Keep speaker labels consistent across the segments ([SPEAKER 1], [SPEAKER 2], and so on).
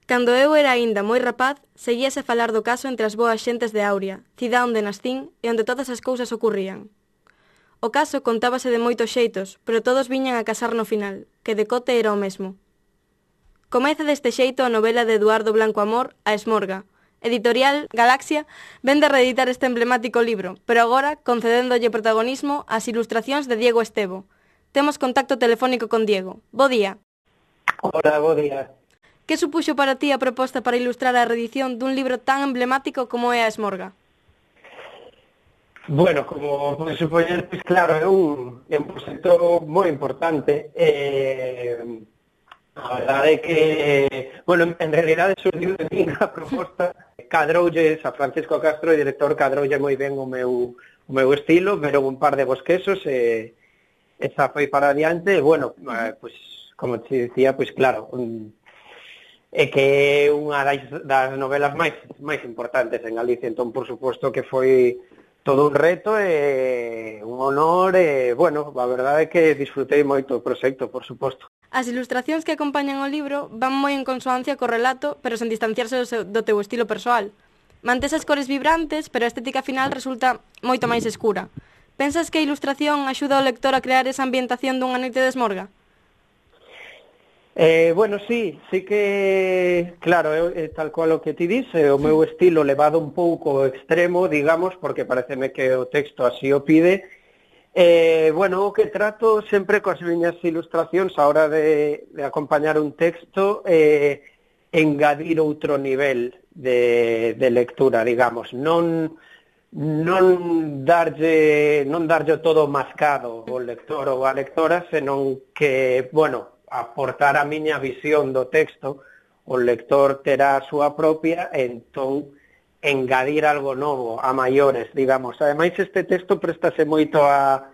[SPEAKER 1] Cando eu era aínda moi rapaz, seguíase a falar do caso entre as boas xentes de Auria, cidade onde nascín e onde todas as cousas ocurrían. O caso contábase de moitos xeitos, pero todos viñan a casar no final, que decote era o mesmo. Comeza deste xeito a novela de Eduardo Blanco Amor, A Esmorga. Editorial Galaxia vende a reeditar este emblemático libro, pero agora concedéndolle protagonismo ás ilustracións de Diego Estevo. Temos contacto telefónico con Diego. Bo día.
[SPEAKER 2] Hola, bo día.
[SPEAKER 1] Que supuxo para ti a proposta para ilustrar a reedición dun libro tan emblemático como é A Esmorga?
[SPEAKER 2] Bueno, como podes supoñer, pois claro, é un proxecto moi importante. A verdade é que, bueno, en realidade surgiu de mí a proposta. Cadroulle a Francisco Castro, o director, cadroulle moi ben o meu estilo, pero un par de bosquesos e esa foi para adiante. E, bueno, pois, como te dicía, pois claro, é que é unha das novelas máis importantes en Galicia, entón, por suposto, que foi todo un reto e un honor e, bueno, a verdade é que disfrutei moito o proxecto, por suposto.
[SPEAKER 1] As ilustracións que acompañan o libro van moi en consoancia co relato, pero sen distanciarse do teu estilo persoal. Mantes as cores vibrantes, pero a estética final resulta moito máis escura. Pensas que a ilustración axuda ao lector a crear esa ambientación dunha noite de esmorga?
[SPEAKER 2] Bueno, sí que, claro, tal cual o que ti dice, o meu estilo levado un pouco ao extremo, digamos, porque pareceme que o texto así o pide. Bueno, o que trato sempre coas miñas ilustracións a hora de acompañar un texto engadir outro nivel de lectura, digamos, non darlle todo mascado ao lector ou á lectora, senón que, bueno, aportar a miña visión do texto, o lector terá a súa propia, e entón engadir algo novo, a maiores, digamos. Ademais, este texto préstase moito a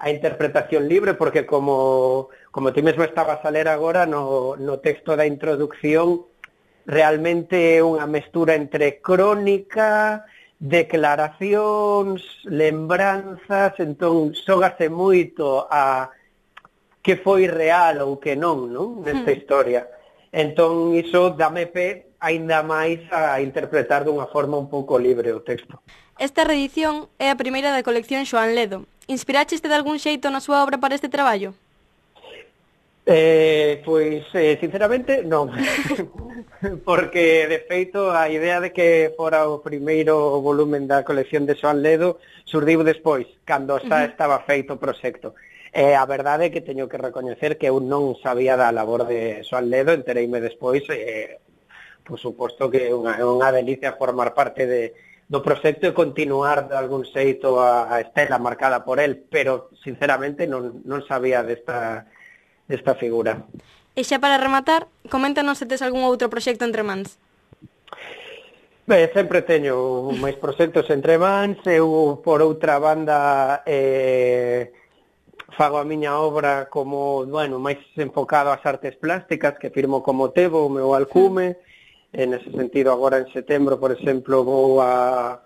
[SPEAKER 2] interpretación libre, porque como ti mesmo estabas a ler agora, no texto da introducción, realmente é unha mestura entre crónica, declaracións, lembranzas, entón xógase moito a que foi real ou que non, nesta historia. Entón, iso dame pé aínda máis a interpretar dunha forma un pouco libre o texto.
[SPEAKER 1] Esta reedición é a primeira da colección Xoán Ledo. Inspiraxeste de algún xeito na súa obra para este traballo?
[SPEAKER 2] Pois, sinceramente, non. Porque, de feito, a idea de que fora o primeiro volumen da colección de Xoán Ledo surdiu despois, cando xa estaba feito o proxecto. A verdade é que teño que recoñecer que eu non sabía da labor de Xoán Ledo, entereime despois, por suposto que é unha delicia formar parte do proxecto e continuar de algún xeito a estela marcada por el, pero sinceramente non sabía desta figura.
[SPEAKER 1] E xa para rematar, coméntanos se tes algún outro proxecto entre mans.
[SPEAKER 2] Sempre teño máis proxectos entre mans. Eu, por outra banda, fago a miña obra como, bueno, máis enfocado ás artes plásticas, que firmo como Tebo, o meu alcume. En ese sentido, agora en setembro, por exemplo, vou a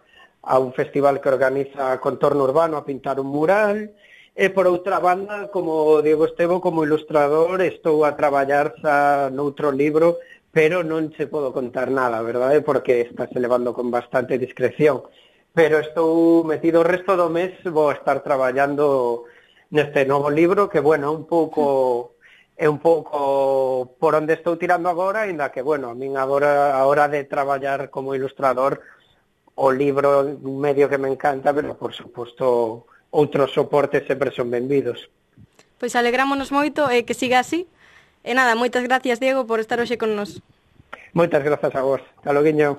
[SPEAKER 2] un festival que organiza Contorno Urbano a pintar un mural. E, por outra banda, como Diego Estevo, como ilustrador, estou a traballar xa noutro libro, pero non se podo contar nada, verdade? Porque está se levando con bastante discreción. Pero estou metido o resto do mes, vou estar traballando neste novo libro, que, bueno, é un pouco por onde estou tirando agora, ainda que, bueno, a min agora, a hora de traballar como ilustrador, o libro é un medio que me encanta, pero, por suposto, outros soportes sempre son benvidos.
[SPEAKER 1] Pois alegrámonos moito e que siga así. E nada, moitas gracias, Diego, por estar hoxe con nos.
[SPEAKER 2] Moitas grazas a vos. Hasta loguiño.